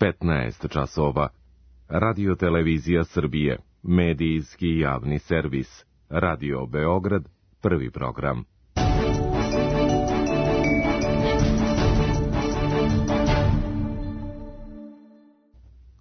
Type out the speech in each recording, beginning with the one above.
15 časova. Radio Televizija Srbije, medijski javni servis. Radio Beograd, prvi program.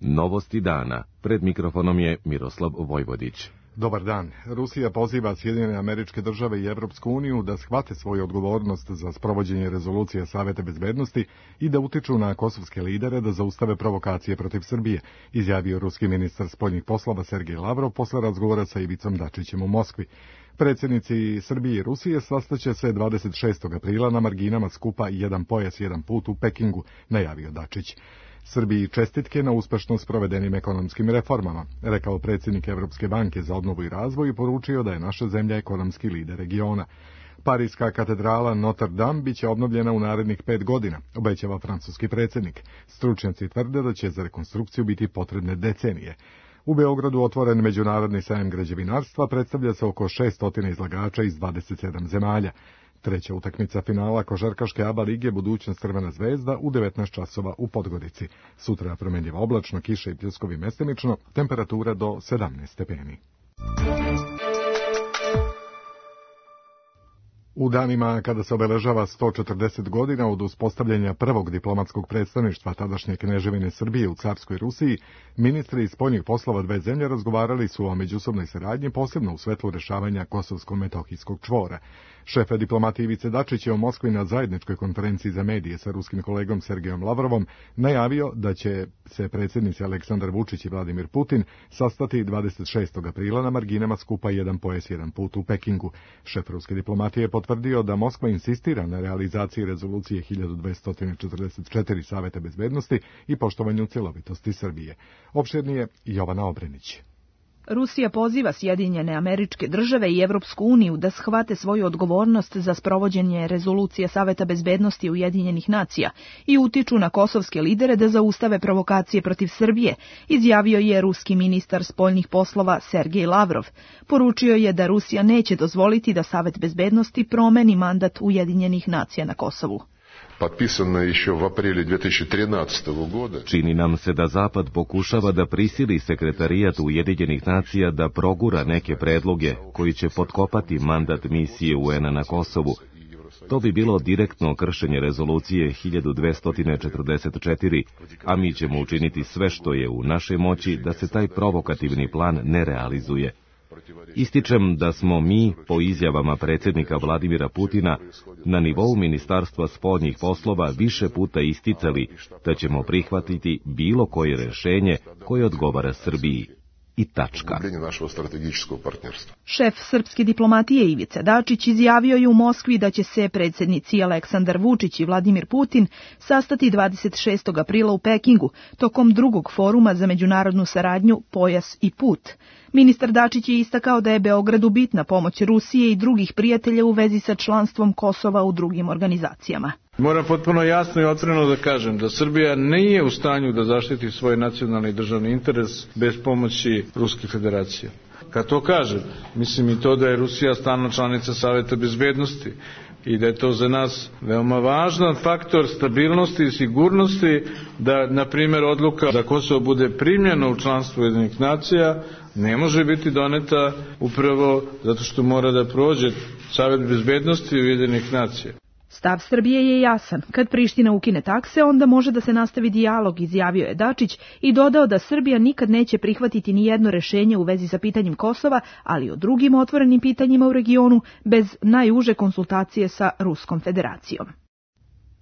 Novosti dana. Pred mikrofonom je Miroslav Vojvodić. Dobar dan. Rusija poziva Sjedinjene Američke Države i Evropsku uniju da shvate svoju odgovornost za sprovođenje rezolucije Saveta bezbednosti i da utiču na kosovske lidere da zaustave provokacije protiv Srbije, izjavio ruski ministar spoljnih poslova Sergej Lavrov posle razgovora sa Ivicom Dačićem u Moskvi. Predsjednici Srbije i Rusije sastaće se 26. aprila na marginama skupa Jedan pojas, jedan put u Pekingu, najavio Dačić. Srbiji čestitke na uspešno sprovedenim ekonomskim reformama, rekao predsjednik Evropske banke za obnovu i razvoj i poručio da je naša zemlja ekonomski lider regiona. Parijska katedrala Notre Dame biće obnovljena u narednih 5 godina, obećava francuski predsjednik. Stručnjaci tvrde da će za rekonstrukciju biti potrebne decenije. U Beogradu otvoren međunarodni sajam građevinarstva, predstavlja se oko 600 izlagača iz 27 zemalja. Treća utakmica finala košarkaške ABA lige budućnost Crvena zvezda u 19 časova u Podgorici. Sutra promjenjivo oblačno, kiša i pljuskovi mestimično, temperatura do 17 stepeni. U danima kada se obeležava 140 godina od uspostavljanja prvog diplomatskog predstavništva tadašnje Kneževine Srbije u carskoj Rusiji, ministri spoljnih poslova dve zemlje razgovarali su o međusobnoj saradnji, posebno u svetlu rešavanja kosovsko-metohijskog čvora. Šef diplomatije Ivice Dačić je u Moskvi na zajedničkoj konferenciji za medije sa ruskim kolegom Sergejom Lavrovom najavio da će se predsjednici Aleksandar Vučić i Vladimir Putin sastati 26. aprila na marginama skupa Jedan pojas, jedan put u Pekingu. Šef ruske diplomatije potvrdio da Moskva insistira na realizaciji rezolucije 1244 Saveta bezbednosti i poštovanju cjelovitosti Srbije. Opširnije Jovana Obrenić. Rusija poziva Sjedinjene Američke Države i Evropsku uniju da shvate svoju odgovornost za sprovođenje rezolucije Saveta bezbednosti Ujedinjenih nacija i utiču na kosovske lidere da zaustave provokacije protiv Srbije, izjavio je ruski ministar spoljnih poslova Sergej Lavrov. Poručio je da Rusija neće dozvoliti da Savet bezbednosti promeni mandat Ujedinjenih nacija na Kosovu. Čini nam se da Zapad pokušava da prisili sekretarijat Ujedinjenih nacija da progura neke predloge koji će potkopati mandat misije UN-a na Kosovu. To bi bilo direktno kršenje rezolucije 1244, a mi ćemo učiniti sve što je u našoj moći da se taj provokativni plan ne realizuje. Ističem da smo mi, po izjavama predsjednika Vladimira Putina, na nivou Ministarstva spoljnih poslova više puta isticali da ćemo prihvatiti bilo koje rješenje koje odgovara Srbiji. I tačka. Šef srpske diplomatije Ivica Dačić izjavio je u Moskvi da će se predsjednici Aleksandar Vučić i Vladimir Putin sastati 26. aprila u Pekingu tokom drugog foruma za međunarodnu saradnju Pojas i put. Ministar Dačić je istakao da je Beogradu bitna pomoć Rusije i drugih prijatelja u vezi sa članstvom Kosova u drugim organizacijama. Moram potpuno jasno i otvoreno da kažem da Srbija nije u stanju da zaštiti svoj nacionalni i državni interes bez pomoći Ruske federacije. Kad to kažem, mislim i to da je Rusija stalna članica Saveta bezbednosti i da je to za nas veoma važan faktor stabilnosti i sigurnosti, da, na primjer, odluka da Kosovo bude primljeno u članstvo Ujedinjenih nacija ne može biti doneta upravo zato što mora da prođe Savet bezbednosti Ujedinjenih nacija. Stav Srbije je jasan. Kad Priština ukine takse, onda može da se nastavi dijalog, izjavio je Dačić i dodao da Srbija nikad neće prihvatiti ni jedno rešenje u vezi sa pitanjem Kosova, ali o drugim otvorenim pitanjima u regionu bez najuže konsultacije sa Ruskom federacijom.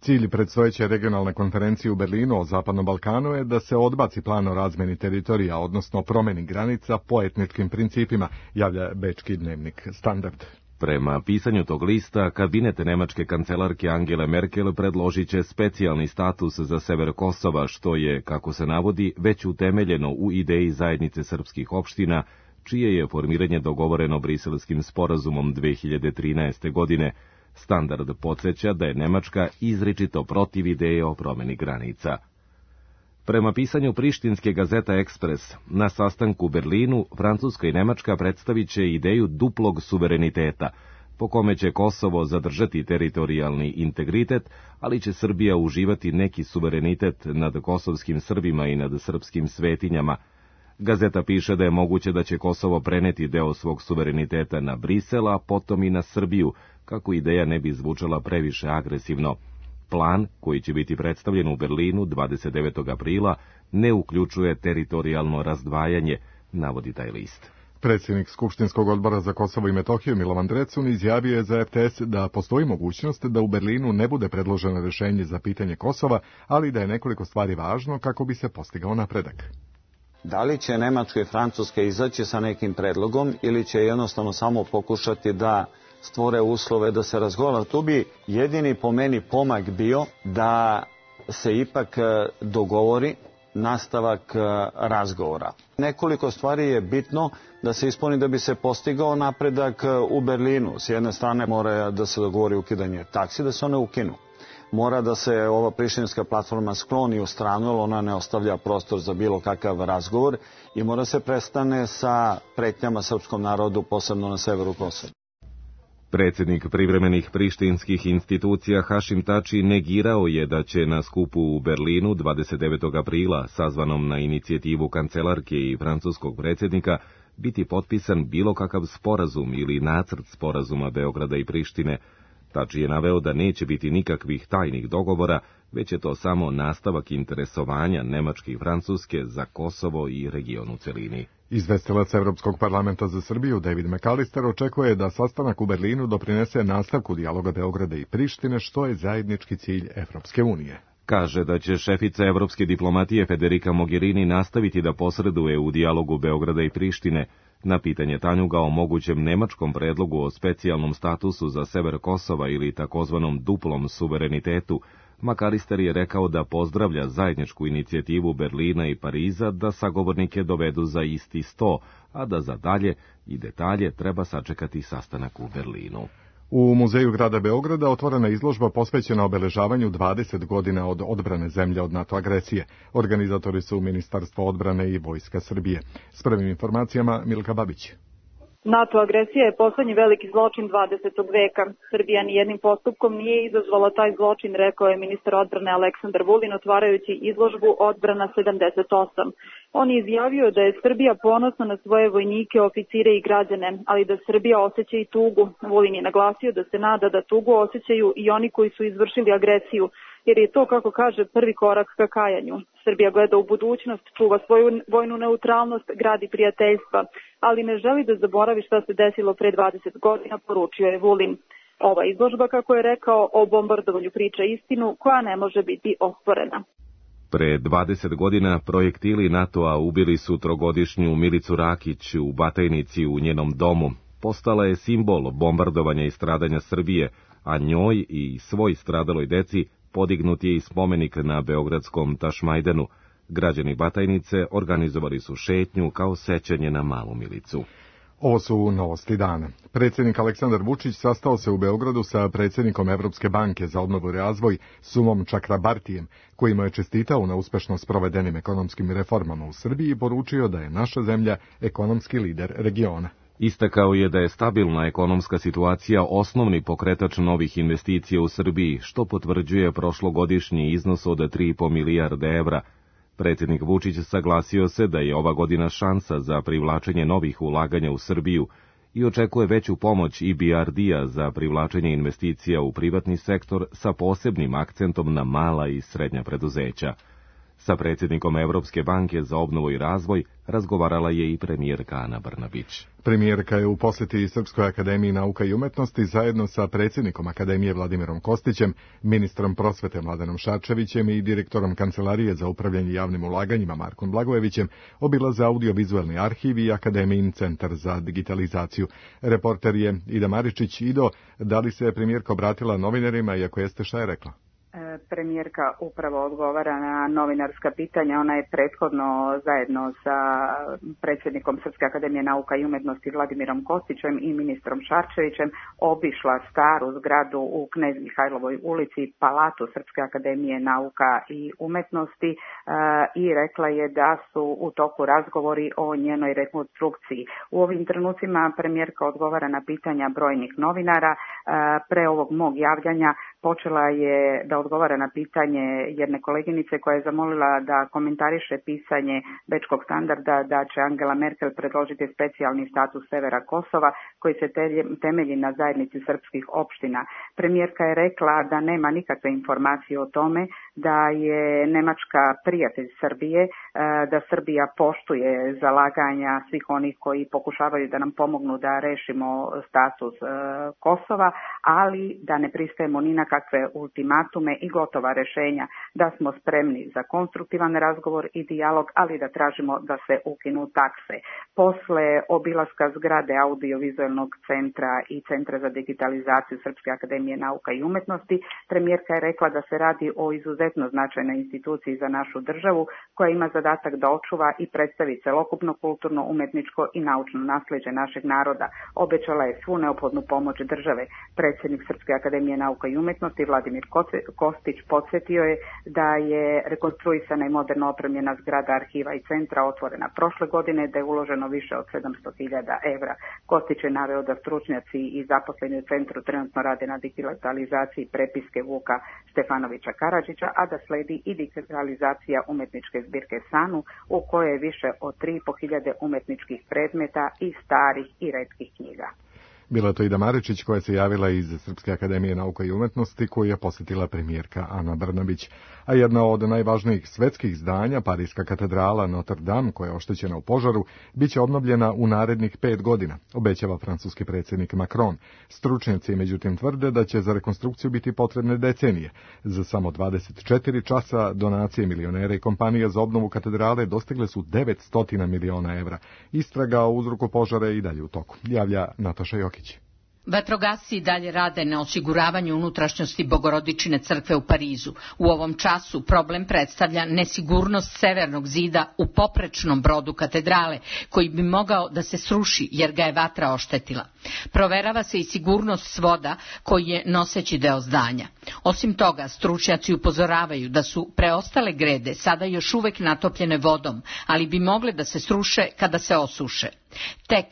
Cilj predstojeće regionalne konferencije u Berlinu o Zapadnom Balkanu je da se odbaci plan o razmeni teritorija, odnosno promjeni granica po etničkim principima, javlja bečki dnevnik Standard. Prema pisanju tog lista, kabinet nemačke kancelarke Angele Merkel predložit će specijalni status za sever Kosova, što je, kako se navodi, već utemeljeno u ideji zajednice srpskih opština, čije je formiranje dogovoreno Briselskim sporazumom 2013. godine. Standard podsjeća da je Nemačka izričito protiv ideje o promjeni granica. Prema pisanju prištinske gazeta Ekspres, na sastanku u Berlinu, Francuska i Nemačka predstavit će ideju duplog suvereniteta, po kome će Kosovo zadržati teritorijalni integritet, ali će Srbija uživati neki suverenitet nad kosovskim Srbima i nad srpskim svetinjama. Gazeta piše da je moguće da će Kosovo preneti deo svog suvereniteta na Brisel, a potom i na Srbiju, kako ideja ne bi zvučala previše agresivno. Plan, koji će biti predstavljen u Berlinu 29. aprila, ne uključuje teritorijalno razdvajanje, navodi taj list. Predsjednik Skupštinskog odbora za Kosovo i Metohiju Milovan Drecun izjavio je za RTS da postoji mogućnost da u Berlinu ne bude predloženo rješenje za pitanje Kosova, ali da je nekoliko stvari važno kako bi se postigao napredak. Da li će Nemačka i Francuska izaći sa nekim predlogom ili će jednostavno samo pokušati da stvore uslove da se razgovara? Tu bi jedini po meni pomak bio da se ipak dogovori nastavak razgovora. Nekoliko stvari je bitno da se ispuni da bi se postigao napredak u Berlinu. S jedne strane mora da se dogovori ukidanje taksi, da se one ukinu. Mora da se ova prištinska platforma skloni u stranu, jer ona ne ostavlja prostor za bilo kakav razgovor, i mora se prestane sa pretnjama srpskom narodu, posebno na severu Kosova. Predsjednik privremenih prištinskih institucija Hašim Tači negirao je da će na skupu u Berlinu 29. aprila, sazvanom na inicijativu kancelarke i francuskog predsjednika, biti potpisan bilo kakav sporazum ili nacrt sporazuma Beograda i Prištine. Tači je naveo da neće biti nikakvih tajnih dogovora, već je to samo nastavak interesovanja Nemačke i Francuske za Kosovo i region u celini. Izvestilac Evropskog parlamenta za Srbiju David McAllister očekuje da sastanak u Berlinu doprinese nastavku dijaloga Beograda i Prištine, što je zajednički cilj Evropske unije. Kaže da će šefica evropske diplomatije Federica Mogherini nastaviti da posreduje u dijalogu Beograda i Prištine. Na pitanje Tanjuga o mogućem nemačkom predlogu o specijalnom statusu za sever Kosova ili takozvanom duplom suverenitetu, McAllister je rekao da pozdravlja zajedničku inicijativu Berlina i Pariza da sagovornike dovedu za isti sto, a da za dalje i detalje treba sačekati sastanak u Berlinu. U Muzeju grada Beograda otvorena izložba posvećena obeležavanju 20 godina od odbrane zemlje od NATO agresije. Organizatori su Ministarstvo odbrane i Vojska Srbije. S prvim informacijama Milka Babić. NATO agresija je poslednji veliki zločin 20. veka. Srbija nijednim postupkom nije izazvala taj zločin, rekao je ministar odbrane Aleksandar Vulin otvarajući izložbu Odbrana 78. On je izjavio da je Srbija ponosna na svoje vojnike, oficire i građane, ali da Srbija osjeća i tugu. Vulin je naglasio da se nada da tugu osjećaju i oni koji su izvršili agresiju, jer je to, kako kaže, prvi korak ka kajanju. Srbija gleda u budućnost, čuva svoju vojnu neutralnost, gradi prijateljstva, ali ne želi da zaboravi šta se desilo pre 20 godina, poručio je Vulin. Ova izložba, kako je rekao, o bombardovanju priča istinu koja ne može biti osporena. Pre 20 godina projektili NATO-a ubili su trogodišnju Milicu Rakić u Batajnici u njenom domu. Postala je simbol bombardovanja i stradanja Srbije, a njoj i svoj stradaloj deci podignut je i spomenik na beogradskom Tašmajdenu. Građani Batajnice organizovali su šetnju kao sećanje na malu Milicu. Ovo su novosti dana. Predsjednik Aleksandar Vučić sastao se u Beogradu sa predsjednikom Evropske banke za obnovu i razvoj Sumom Čakrabartijem, koji mu je čestitao na uspešno sprovedenim ekonomskim reformama u Srbiji i poručio da je naša zemlja ekonomski lider regiona. Istakao je da je stabilna ekonomska situacija osnovni pokretač novih investicija u Srbiji, što potvrđuje prošlogodišnji iznos od 3,5 milijarde evra. Predsjednik Vučić saglasio se da je ova godina šansa za privlačenje novih ulaganja u Srbiju i očekuje veću pomoć EBRD-a za privlačenje investicija u privatni sektor sa posebnim akcentom na mala i srednja preduzeća. Sa predsjednikom Evropske banke za obnovu i razvoj razgovarala je i premijerka Ana Brnabić. Premijerka je u posjeti Srpskoj akademiji nauka i umetnosti zajedno sa predsjednikom Akademije Vladimirom Kostićem, ministrom prosvete Mladenom Šarčevićem i direktorom Kancelarije za upravljanje javnim ulaganjima Markom Blagojevićem obilaze audiovizualni arhiv i Akademijin centar za digitalizaciju. Reporter je Ida Maričić. Ido, da li se premijerka obratila novinarima i ako jeste, šta je rekla? premijerka upravo odgovara na novinarska pitanja. Ona je prethodno zajedno sa predsjednikom Srpske akademije nauka i umjetnosti Vladimirom Kostićem i ministrom Šarčevićem obišla staru zgradu u Knez Mihajlovoj ulici, palatu Srpske akademije nauka i umjetnosti i rekla je da su u toku razgovori o njenoj rekonstrukciji. U ovim trenucima premijerka odgovara na pitanja brojnih novinara. Pre ovog mog javljanja počela je da odgovara na pitanje jedne koleginice koja je zamolila da komentariše pisanje Bečkog standarda da će Angela Merkel predložiti specijalni status severa Kosova koji se temelji na zajednici srpskih opština. Premijerka je rekla da nema nikakve informacije o tome, da je Nemačka prijatelj Srbije, da Srbija poštuje zalaganja svih onih koji pokušavaju da nam pomognu da rešimo status Kosova, ali da ne pristajemo ni na kakve ultimatume i gotova rešenja, da smo spremni za konstruktivan razgovor i dijalog, ali da tražimo da se ukinu takse. Posle obilaska zgrade audiovizualnog centra i Centra za digitalizaciju Srpske akademije nauka i umjetnosti, premijerka je rekla da se radi o izuzetno značajnoj instituciji za našu državu koja ima zadatak da očuva i predstavi celokupno kulturno, umjetničko i naučno nasleđe našeg naroda. Obećala je svu neophodnu pomoć države. Predsjednik Srpske akademije nauka i umjetnosti Vladimir Kostić podsjetio je da je rekonstruisana i moderno opremljena zgrada arhiva i centra otvorena prošle godine, da je uloženo više od 700.000 evra. Kostić je naveo da stručnjaci i zaposleni u centru trenutno rade na digitalizaciji prepiske Vuka Stefanovića Karadžića, a da sledi i digitalizacija umjetničke zbirke Sanu, u kojoj je više od 3.500 umjetničkih predmeta i starih i retkih knjiga. Bila je to Ida Maričić koja se javila iz Srpske akademije nauka i umjetnosti koju je posjetila premijerka Ana Brnabić. A jedna od najvažnijih svetskih zdanja, Pariska katedrala Notre Dame, koja je oštećena u požaru, bit će obnovljena u narednih 5 godina, obećava francuski predsjednik Macron. Stručnjaci međutim tvrde da će za rekonstrukciju biti potrebne decenije. Za samo 24 časa donacije milionera i kompanija za obnovu katedrale dostigle su 900 miliona evra. Istraga o uzroku požara je i dalje u toku, javlja Nataša Jokić. Vatrogasci dalje rade na osiguravanju unutrašnjosti Bogorodičine crkve u Parizu. U ovom času problem predstavlja nesigurnost severnog zida u poprečnom brodu katedrale, koji bi mogao da se sruši jer ga je vatra oštetila. Proverava se i sigurnost svoda koji je noseći deo zdanja. Osim toga, stručnjaci upozoravaju da su preostale grede sada još uvek natopljene vodom, ali bi mogle da se sruše kada se osuše. Tek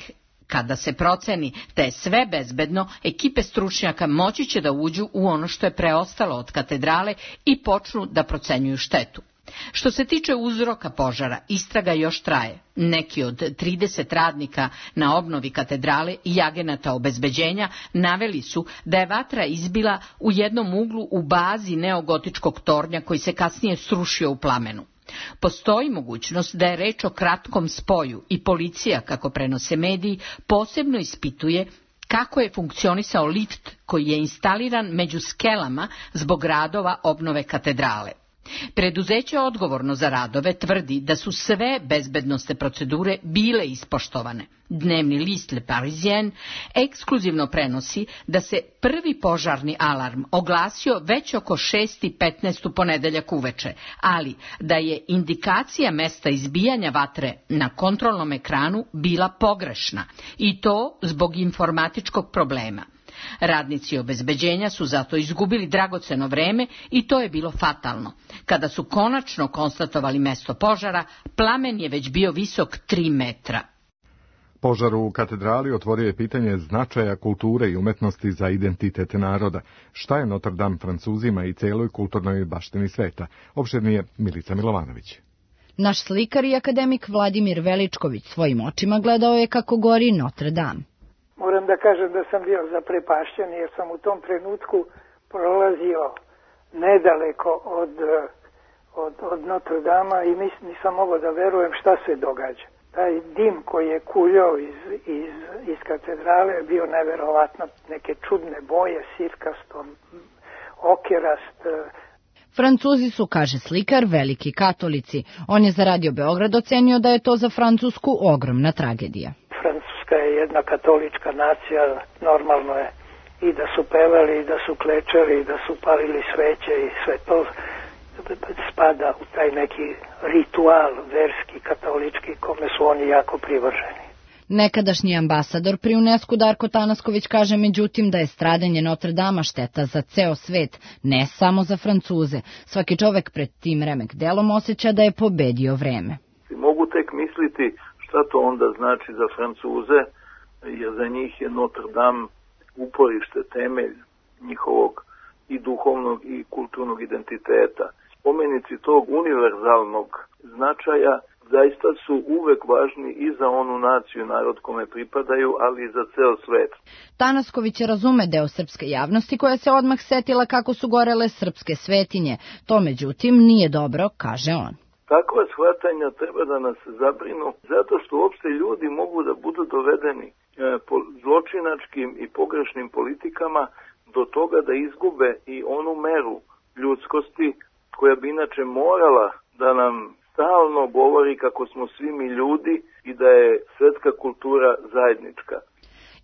kada se proceni da je sve bezbedno, ekipe stručnjaka moći će da uđu u ono što je preostalo od katedrale i počnu da procenjuju štetu. Što se tiče uzroka požara, istraga još traje. Neki od 30 radnika na obnovi katedrale i agenata obezbeđenja naveli su da je vatra izbila u jednom uglu u bazi neogotičkog tornja koji se kasnije srušio u plamenu. Postoji mogućnost da je reč o kratkom spoju i policija, kako prenose mediji, posebno ispituje kako je funkcionisao lift koji je instaliran među skelama zbog radova obnove katedrale. Preduzeće odgovorno za radove tvrdi da su sve bezbednosne procedure bile ispoštovane. Dnevni list Le Parisien ekskluzivno prenosi da se prvi požarni alarm oglasio već oko 6:15 u ponedeljak uveče, ali da je indikacija mesta izbijanja vatre na kontrolnom ekranu bila pogrešna, i to zbog informatičkog problema. Radnici obezbeđenja su zato izgubili dragoceno vreme i to je bilo fatalno. Kada su konačno konstatovali mesto požara, plamen je već bio visok 3 metra. Požar u katedrali otvorio je pitanje značaja kulture i umetnosti za identitet naroda. Šta je Notre Dame Francuzima i celoj kulturnoj baštini sveta? Opširnije Milica Milovanović. Naš slikar i akademik Vladimir Veličković svojim očima gledao je kako gori Notre Dame. Moram da kažem da sam bio zaprepašćen jer sam u tom trenutku prolazio nedaleko od Notre Dama i nisam mogao da verujem šta se događa. Taj dim koji je kuljao iz katedrale je bio neverovatno, neke čudne boje, sirkasto, okerast. Francuzi su, kaže slikar, veliki katolici. On je za Radio Beograd ocenio da je to za Francusku ogromna tragedija. Francuska je jedna katolička nacija, normalno je i da su pevali, i da su klečali, i da su palili sveće i sve to spada u taj neki ritual verski, katolički, kome su oni jako privrženi. Nekadašnji ambasador pri UNESCO Darko Tanasković kaže međutim da je stradanje Notre Dama šteta za ceo svet, ne samo za Francuze. Svaki čovek pred tim remek delom osjeća da je pobedio vreme. Mogu tek misliti šta to onda znači za Francuze, jer za njih je Notre Dame uporište, temelj njihovog i duhovnog i kulturnog identiteta. Spomenici tog univerzalnog značaja zaista su uvek važni i za onu naciju, narod kome pripadaju, ali i za ceo svet. Tanasković razume deo srpske javnosti koja se odmah setila kako su gorele srpske svetinje. To međutim nije dobro, kaže on. Takva shvatanja treba da nas zabrinu, zato što uopšte ljudi mogu da budu dovedeni po zločinačkim i pogrešnim politikama do toga da izgube i onu meru ljudskosti koja bi inače morala da nam stalno govori kako smo svi mi ljudi i da je svetska kultura zajednička.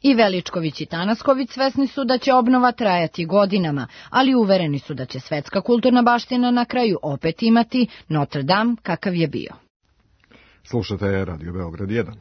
I Veličković i Tanasković svesni su da će obnova trajati godinama, ali uvereni su da će svetska kulturna baština na kraju opet imati Notre Dame kakav je bio. Slušate Radio Beograd 1.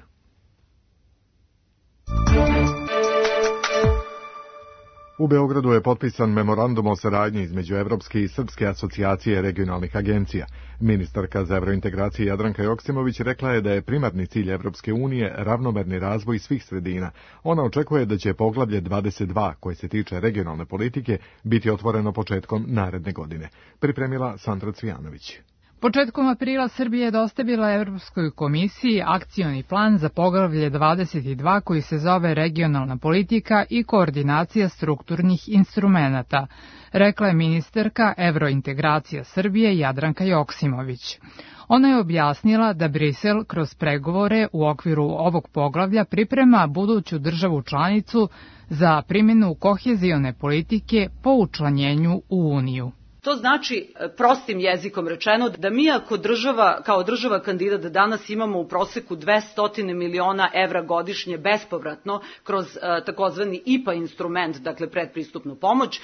U Beogradu je potpisan memorandum o saradnji između Evropske i Srpske asocijacije regionalnih agencija. Ministarka za evrointegracije Jadranka Joksimović rekla je da je primarni cilj Evropske unije ravnomerni razvoj svih sredina. Ona očekuje da će poglavlje 22, koje se tiče regionalne politike, biti otvoreno početkom naredne godine. Pripremila Sandra Cvijanović. Početkom aprila Srbija je dostavila Evropskoj komisiji akcioni plan za poglavlje 22 koji se zove regionalna politika i koordinacija strukturnih instrumenata, rekla je ministarka evrointegracija Srbije Jadranka Joksimović. Ona je objasnila da Brisel kroz pregovore u okviru ovog poglavlja priprema buduću državu članicu za primjenu kohezione politike po učlanjenju u Uniju. To znači, prostim jezikom rečeno, da mi ako kao država kandidat danas imamo u proseku 200 miliona evra godišnje bespovratno kroz takozvani IPA instrument, dakle predpristupnu pomoć,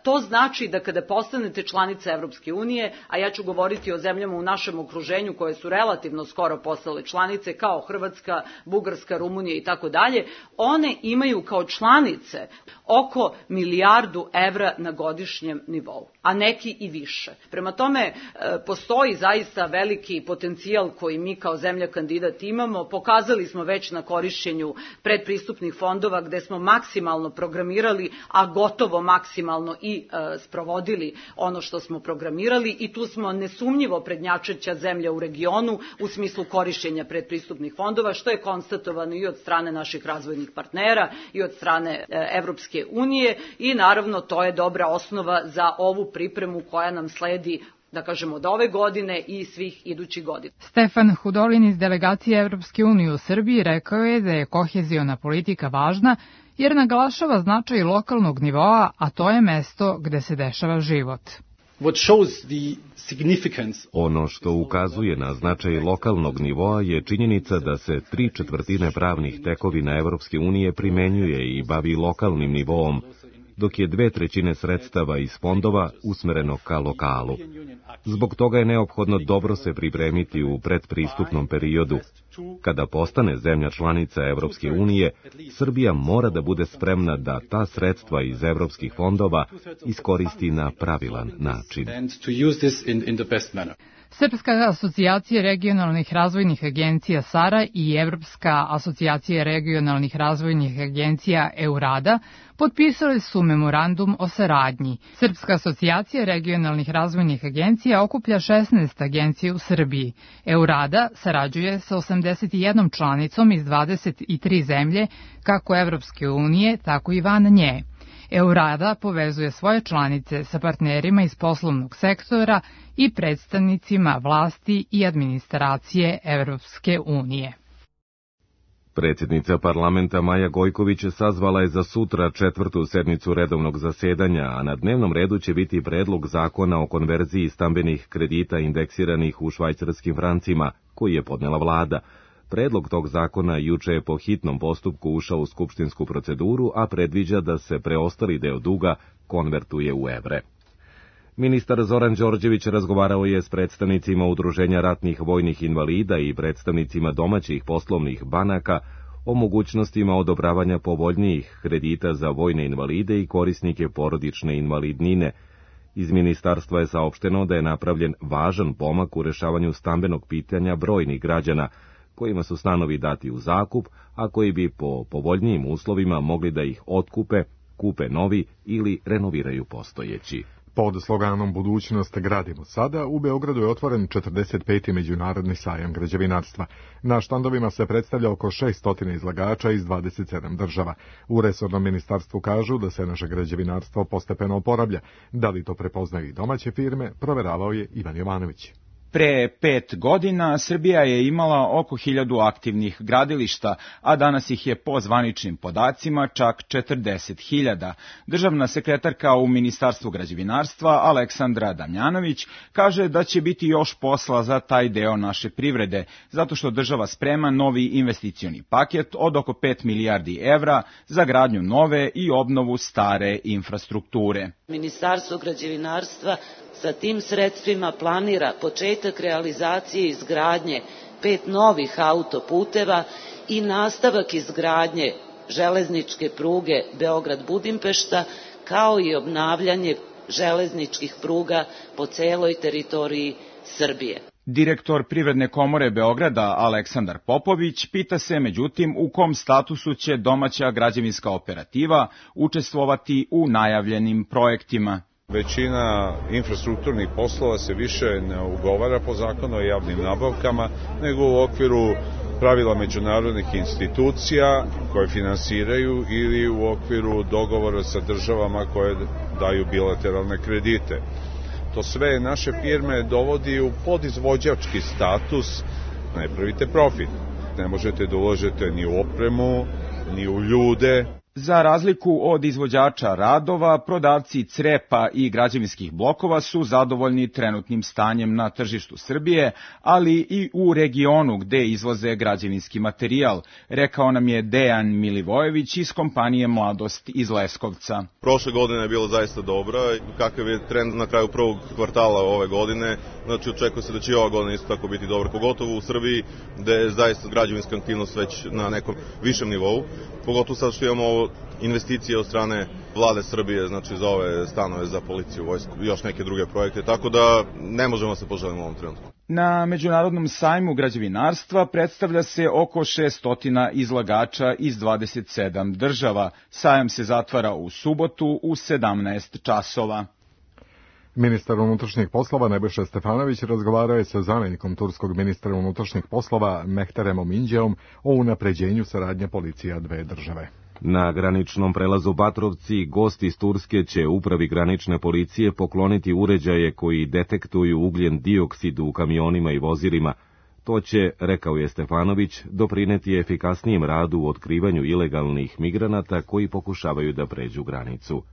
to znači da kada postanete članica Evropske unije, a ja ću govoriti o zemljama u našem okruženju koje su relativno skoro postale članice, kao Hrvatska, Bugarska, Rumunija i tako dalje, one imaju kao članice oko milijardu evra na godišnjem nivou, a neki i više. Prema tome, postoji zaista veliki potencijal koji mi kao zemlja kandidat imamo. Pokazali smo već na korišćenju predpristupnih fondova gde smo maksimalno programirali, a gotovo maksimalno i sprovodili ono što smo programirali i tu smo nesumnjivo prednjačeća zemlja u regionu u smislu korišćenja predpristupnih fondova, što je konstatovano i od strane naših razvojnih partnera i od strane Evropske unije i naravno to je dobra osnova za ovu pripremu koja nam sledi, da kažemo, od ove godine i svih idućih godina. Stefan Hudolin iz delegacije Evropske unije u Srbiji rekao je da je koheziona politika važna jer naglašava značaj lokalnog nivoa, a to je mesto gde se dešava život. Ono što ukazuje na značaj lokalnog nivoa je činjenica da se 3/4 pravnih tekovina Evropske unije primenjuje i bavi lokalnim nivoom, dok je 2/3 sredstava iz fondova usmereno ka lokalu. Zbog toga je neophodno dobro se pripremiti u predpristupnom periodu. Kada postane zemlja članica Evropske unije, Srbija mora da bude spremna da ta sredstva iz evropskih fondova iskoristi na pravilan način. Srpska asocijacija regionalnih razvojnih agencija SARA i Evropska asocijacija regionalnih razvojnih agencija EURADA potpisali su memorandum o saradnji. Srpska asocijacija regionalnih razvojnih agencija okuplja 16 agencija u Srbiji. EURADA sarađuje sa 81 članicom iz 23 zemlje, kako Evropske unije, tako i van nje. EURADA povezuje svoje članice sa partnerima iz poslovnog sektora i predstavnicima vlasti i administracije Evropske unije. Predsjednica parlamenta Maja Gojković sazvala je za sutra 4. sednicu redovnog zasedanja, a na dnevnom redu će biti predlog zakona o konverziji stambenih kredita indeksiranih u švajcarskim francima, koji je podnela vlada. Predlog tog zakona juče je po hitnom postupku ušao u skupštinsku proceduru, a predviđa da se preostali deo duga konvertuje u evre. Ministar Zoran Đorđević razgovarao je s predstavnicima Udruženja ratnih vojnih invalida i predstavnicima domaćih poslovnih banaka o mogućnostima odobravanja povoljnijih kredita za vojne invalide i korisnike porodične invalidnine. Iz ministarstva je saopšteno da je napravljen važan pomak u rešavanju stambenog pitanja brojnih građana, kojima su stanovi dati u zakup, a koji bi po povoljnijim uslovima mogli da ih otkupe, kupe novi ili renoviraju postojeći. Pod sloganom Budućnost gradimo sada, u Beogradu je otvoren 45. međunarodni sajam građevinarstva. Na štandovima se predstavlja oko 600 izlagača iz 27 država. U resornom ministarstvu kažu da se naše građevinarstvo postepeno oporavlja. Da li to prepoznaju i domaće firme, proveravao je Ivan Jovanović. Pre 5 godina Srbija je imala oko 1000 aktivnih gradilišta, a danas ih je po zvaničnim podacima čak 40.000. Državna sekretarka u Ministarstvu građevinarstva Aleksandra Damjanović kaže da će biti još posla za taj deo naše privrede, zato što država sprema novi investicioni paket od oko 5 milijardi evra za gradnju nove i obnovu stare infrastrukture. Ministarstvo građevinarstva sa tim sredstvima planira početak realizacije izgradnje 5 novih autoputeva i nastavak izgradnje železničke pruge Beograd-Budimpešta, kao i obnavljanje železničkih pruga po celoj teritoriji Srbije. Direktor Privredne komore Beograda Aleksandar Popović pita se, međutim, u kom statusu će domaća građevinska operativa učestvovati u najavljenim projektima. Većina infrastrukturnih poslova se više ne ugovara po zakonu o javnim nabavkama, nego u okviru pravila međunarodnih institucija koje finansiraju ili u okviru dogovora sa državama koje daju bilateralne kredite. To sve naše firme dovodi u podizvođački status, ne pravite profit. Ne možete da uložete ni u opremu, ni u ljude. Za razliku od izvođača radova, prodavci crepa i građevinskih blokova su zadovoljni trenutnim stanjem na tržištu Srbije, ali i u regionu gde izvoze građevinski materijal, rekao nam je Dejan Milivojević iz kompanije Mladost iz Leskovca. Prošle godine je bila zaista dobra, kakav je trend na kraju prvog kvartala ove godine, znači očekuje se da će i ova godina isto tako biti dobra, pogotovo u Srbiji gde je zaista građevinska aktivnost već na nekom višem nivou, pogotovo sad što imamo investicije od strane vlade Srbije, znači za ove stanove za policiju, vojsku i još neke druge projekte, tako da ne možemo se poželiti u ovom trenutku. Na Međunarodnom sajmu građevinarstva predstavlja se oko 600 izlagača iz 27 država. Sajam se zatvara u subotu u 17 časova. Ministar unutrašnjih poslova Nebojša Stefanović razgovarao je sa zamjenikom turskog ministra unutrašnjih poslova Mehteremom Inđeom o unapređenju saradnje policija dve države. Na graničnom prelazu Batrovci gosti iz Turske će upravi granične policije pokloniti uređaje koji detektuju ugljen dioksid u kamionima i vozilima. To će, rekao je Stefanović, doprineti efikasnijem radu u otkrivanju ilegalnih migranata koji pokušavaju da pređu granicu.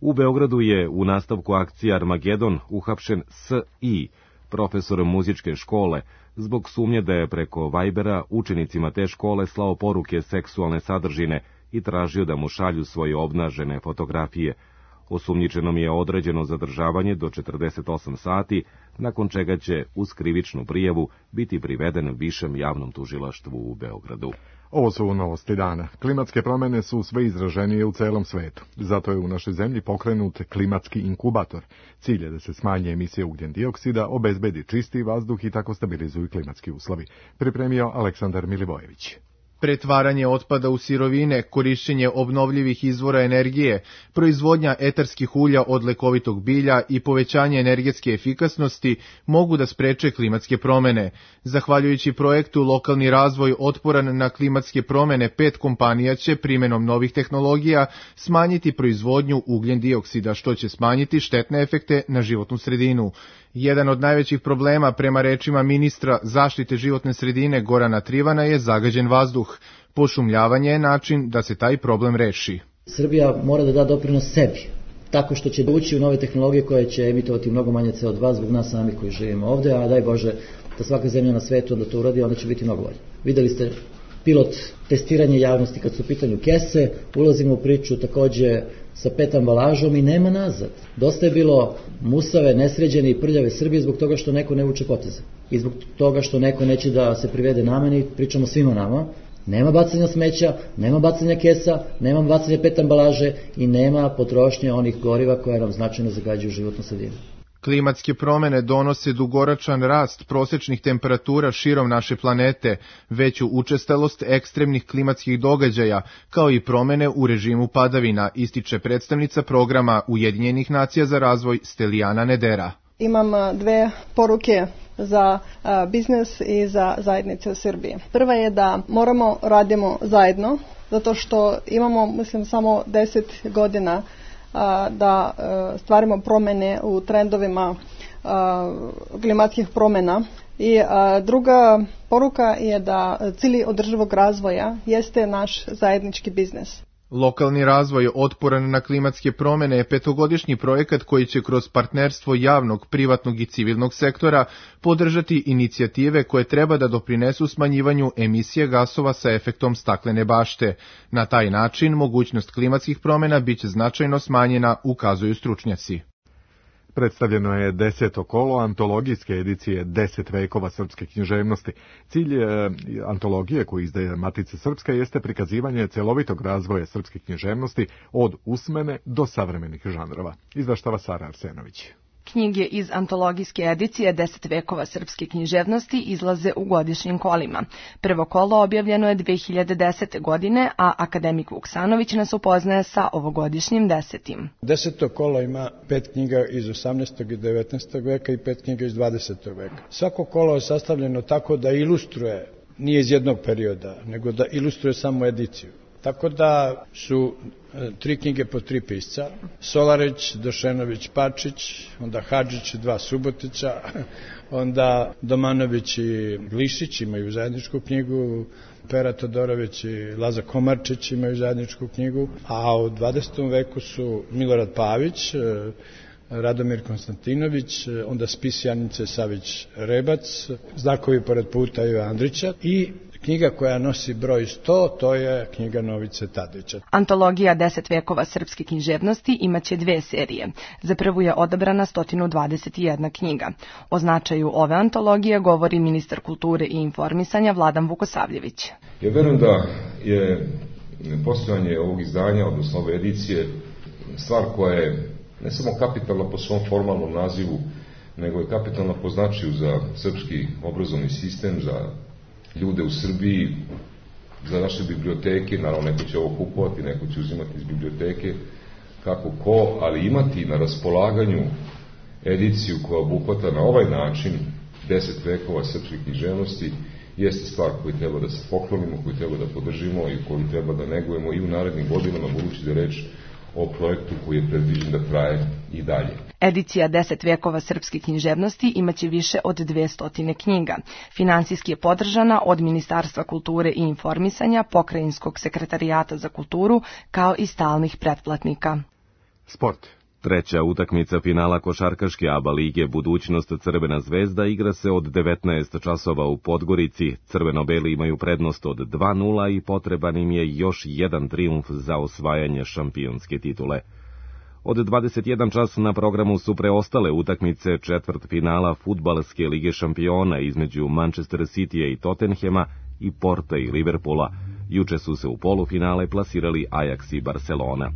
U Beogradu je u nastavku akcije Armagedon uhapšen S.I., profesor muzičke škole, zbog sumnje da je preko Vibera učenicima te škole slao poruke seksualne sadržine i tražio da mu šalju svoje obnažene fotografije. Osumnjičenom je određeno zadržavanje do 48 sati, nakon čega će uz krivičnu prijavu biti priveden višem javnom tužilaštvu u Beogradu. Ovo su novosti dana. Klimatske promjene su sve izraženije u celom svetu. Zato je u našoj zemlji pokrenut klimatski inkubator. Cilj je da se smanje emisije ugljen dioksida, obezbedi čisti vazduh i tako stabilizuju klimatski uslovi. Pripremio Aleksandar Milivojević. Pretvaranje otpada u sirovine, korišćenje obnovljivih izvora energije, proizvodnja etarskih ulja od lekovitog bilja i povećanje energetske efikasnosti mogu da spreče klimatske promene. Zahvaljujući projektu Lokalni razvoj otporan na klimatske promene, 5 kompanija će primenom novih tehnologija smanjiti proizvodnju ugljen dioksida, što će smanjiti štetne efekte na životnu sredinu. Jedan od najvećih problema, prema rečima ministra zaštite životne sredine Gorana Trivana, je zagađen vazduh. Pošumljavanje je način da se taj problem reši. Srbija mora da da doprinos sebi, tako što će ući u nove tehnologije koje će emitovati mnogo manje CO2 zbog nas sami koji živimo ovde, a daj Bože da svaka zemlja na svetu onda to uradi, onda će biti mnogo bolje. Videli ste pilot testiranje javnosti kad su u pitanju kese, ulazimo u priču takođe sa PET ambalažom i nema nazad. Dosta je bilo musave, nesređene i prljave Srbije zbog toga što neko ne vuče poteze. I zbog toga što neko neće da se privede nameni, pričamo svima nama. Nema bacanja smeća, nema bacanja kesa, nema bacanja PET ambalaže i nema potrošnje onih goriva koja nam značajno zagađuju životnu sredinu. Klimatske promene donose dugoročan rast prosečnih temperatura širom naše planete, veću učestalost ekstremnih klimatskih događaja, kao i promene u režimu padavina, ističe predstavnica programa Ujedinjenih nacija za razvoj Stelijana Nedera. Imam dve poruke za biznis i za zajednice u Srbiji. Prva je da moramo radimo zajedno, zato što imamo, mislim, samo 10 godina da stvarimo promene u trendovima klimatskih promena. I druga poruka je da cilj održivog razvoja jeste naš zajednički biznis. Lokalni razvoj otporan na klimatske promene je 5-godišnji projekat koji će kroz partnerstvo javnog, privatnog i civilnog sektora podržati inicijative koje treba da doprinesu smanjivanju emisije gasova sa efektom staklene bašte. Na taj način mogućnost klimatskih promena biće značajno smanjena, ukazuju stručnjaci. Predstavljeno je 10. kolo antologijske edicije 10 vekova srpske književnosti. Cilj antologije koju izdaje Matica Srpska jeste prikazivanje celovitog razvoja srpske književnosti od usmene do savremenih žanrova. Izveštava Sara Arsenović. Knjige iz antologijske edicije 10 vekova srpske književnosti izlaze u godišnjim kolima. Prvo kolo objavljeno je 2010. godine, a akademik Vuksanović nas upoznaje sa ovogodišnjim 10. 10. kolo ima 5 knjiga iz 18. i 19. veka i 5 knjiga iz 20. veka. Svako kolo je sastavljeno tako da ilustruje, nije iz jednog perioda, nego da ilustruje samo ediciju. Tako da su 3 knjige po 3 pisca, Solarić, Došenović, Pačić, onda Hadžić, 2 Subotića, onda Domanović i Glišić imaju zajedničku knjigu, Pera Todorović i Laza Komarčić imaju zajedničku knjigu, a u 20. veku su Milorad Pavić, Radomir Konstantinović, onda spis Janice Savić-Rebac, Znakovi pored puta Iva Andrića i knjiga koja nosi broj 100, to je knjiga Novice Tadića. Antologija 10 vekova srpske književnosti imaće 2 serije. Za prvu je odabrana 121 knjiga. O značaju ove antologije govori ministar kulture i informisanja Vladan Vukosavljević. Ja verujem da je postojanje ovog izdanja, odnosno ove edicije, stvar koja je ne samo kapitalna po svom formalnom nazivu, nego je kapitalna po značaju za srpski obrazovni sistem, za ljude u Srbiji, za naše biblioteke. Naravno, neko će ovo kupovati, neko će uzimati iz biblioteke, kako ko, ali imati na raspolaganju ediciju koja obuhvata na ovaj način 10 vekova srpske književnosti jeste stvar koju treba da se poklonimo, koju treba da podržimo i koju treba da negujemo i u narednim godinama, budući da je reč o projektu koji je predviđen da traje i dalje. Edicija 10 vekova srpske književnosti imaće više od 200 knjiga. Finansijski je podržana od Ministarstva kulture i informisanja, Pokrajinskog sekretarijata za kulturu, kao i stalnih pretplatnika. Sport. Treća utakmica finala košarkaške ABA lige Budućnost Crvena zvezda igra se od 19 časova u Podgorici. Crveno-beli imaju prednost od 2:0 i potreban im je još jedan trijumf za osvajanje šampionske titule. Od 21 čas na programu su preostale utakmice četvrtfinala Fudbalske lige šampiona između Manchester Citya i Tottenhema i Porta i Liverpoola. Juče su se u polufinale plasirali Ajax i Barcelona.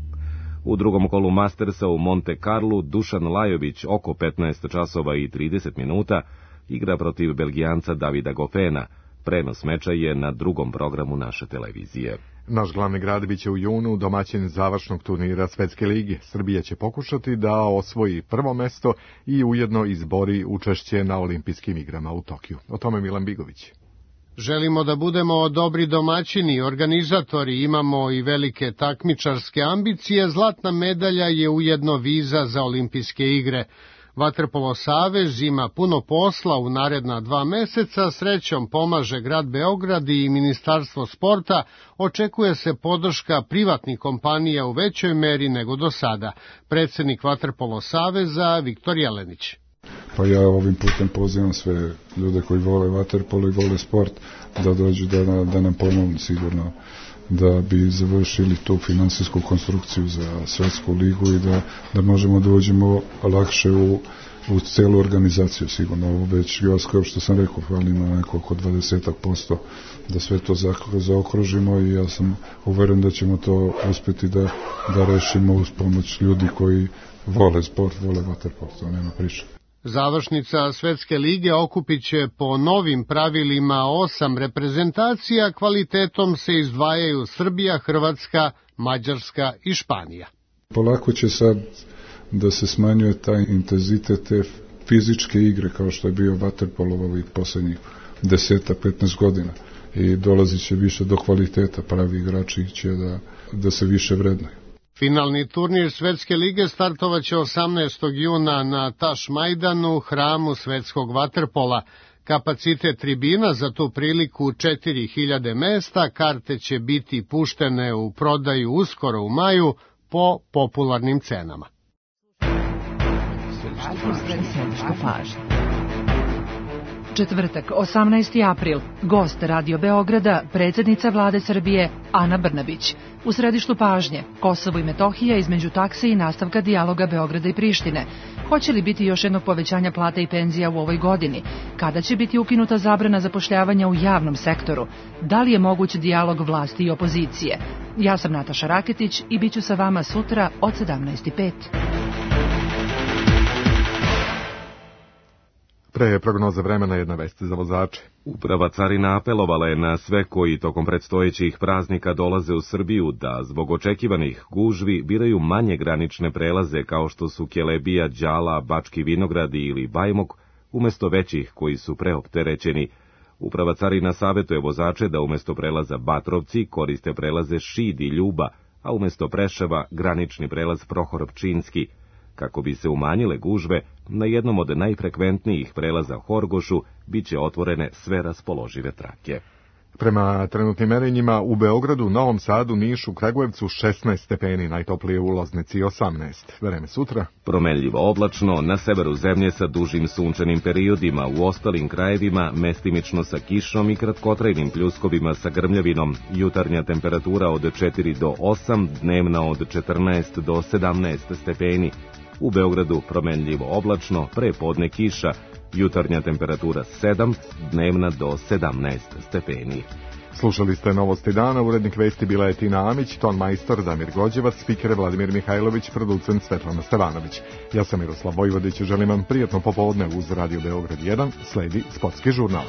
U drugom kolu Mastersa u Monte Carlu Dušan Lajović oko 15 časova i 30 minuta igra protiv Belgijanca Davida Goffena. Prenos meča je na drugom programu naše televizije. Naš glavni grad biće u junu domaćin završnog turnira Svetske lige. Srbija će pokušati da osvoji prvo mesto i ujedno izbori učešće na olimpijskim igrama u Tokiju. O tome Milan Bigović. Želimo da budemo dobri domaćini, organizatori, imamo i velike takmičarske ambicije, zlatna medalja je ujedno viza za olimpijske igre. Vaterpolo savez ima puno posla u naredna 2 meseca, srećom pomaže grad Beograd i Ministarstvo sporta, očekuje se podrška privatnih kompanija u većoj meri nego do sada. Predsednik Vaterpolo saveza Viktor Jelenić. Pa ja ovim putem pozivam sve ljude koji vole vaterpolo i vole sport da dođu da nam pomognu sigurno da bi završili tu finansijsku konstrukciju za svetsku ligu i da možemo da uđemo lakše u celu organizaciju sigurno. Ovo već kao što sam rekao, fali na neko oko 20% da sve to zaokružimo i ja sam uveren da ćemo to uspjeti da rešimo uz pomoć ljudi koji vole sport, vole vaterpolo, to nema priče. Završnica Svetske lige okupit će po novim pravilima 8 reprezentacija, kvalitetom se izdvajaju Srbija, Hrvatska, Mađarska i Španija. Polako će sad da se smanjuje taj intenzitet te fizičke igre kao što je bio vaterpolo ovih poslednjih 10-15 godina i dolazit će više do kvaliteta, pravi igrači će da se više vrednuju. Finalni turnir Svetske lige startovaće 18. juna na Taš Majdanu, hramu svetskog vaterpola. Kapacitet tribina za tu priliku 4000 mesta, karte će biti puštene u prodaju uskoro u maju po popularnim cenama. Četvrtak, 18. april, gost Radio Beograda, predsjednica vlade Srbije Ana Brnabić. U središtu pažnje, Kosovo i Metohija između takse i nastavka dijaloga Beograda i Prištine. Hoće li biti još jednog povećanja plata i penzija u ovoj godini? Kada će biti ukinuta zabrana zapošljavanja u javnom sektoru? Da li je moguć dijalog vlasti i opozicije? Ja sam Nataša Raketić i bit ću sa vama sutra od 17:05. Pre prognoze vremena jedna vest za vozače. Uprava carina apelovala je na sve koji tokom predstojećih praznika dolaze u Srbiju da zbog očekivanih gužvi biraju manje granične prelaze kao što su Kelebija, Đala, Bački Vinogradi ili Bajmok, umesto većih koji su preopterećeni. Uprava carina savjetuje vozače da umesto prelaza Batrovci koriste prelaze Šid i Ljuba, a umesto Preševa granični prelaz Prohor Pčinski. Kako bi se umanjile gužve, na jednom od najfrekventnijih prelaza Horgošu biće otvorene sve raspoložive trake. Prema trenutnim merenjima u Beogradu, Novom Sadu, Nišu, Kragujevcu 16 stepeni, najtoplije u Loznici 18. Vreme sutra. Promenljivo oblačno, na severu zemlje sa dužim sunčanim periodima, u ostalim krajevima mestimično sa kišom i kratkotrajnim pljuskovima sa grmljavinom. Jutarnja temperatura od 4 do 8, dnevna od 14 do 17 stepeni. U Beogradu promenljivo oblačno, pre podne kiša, jutarnja temperatura 7, dnevna do 17 stepeni. Slušali ste Novosti dana, urednik vesti bila je Tina Amić, ton majstor Damir Gođevac, spiker Vladimir Mihajlović, producent Svetlana Stevanović. Ja sam Miroslav Vojvodić, želim vam prijatno popodne uz Radio Beograd 1, sledi sportski žurnal.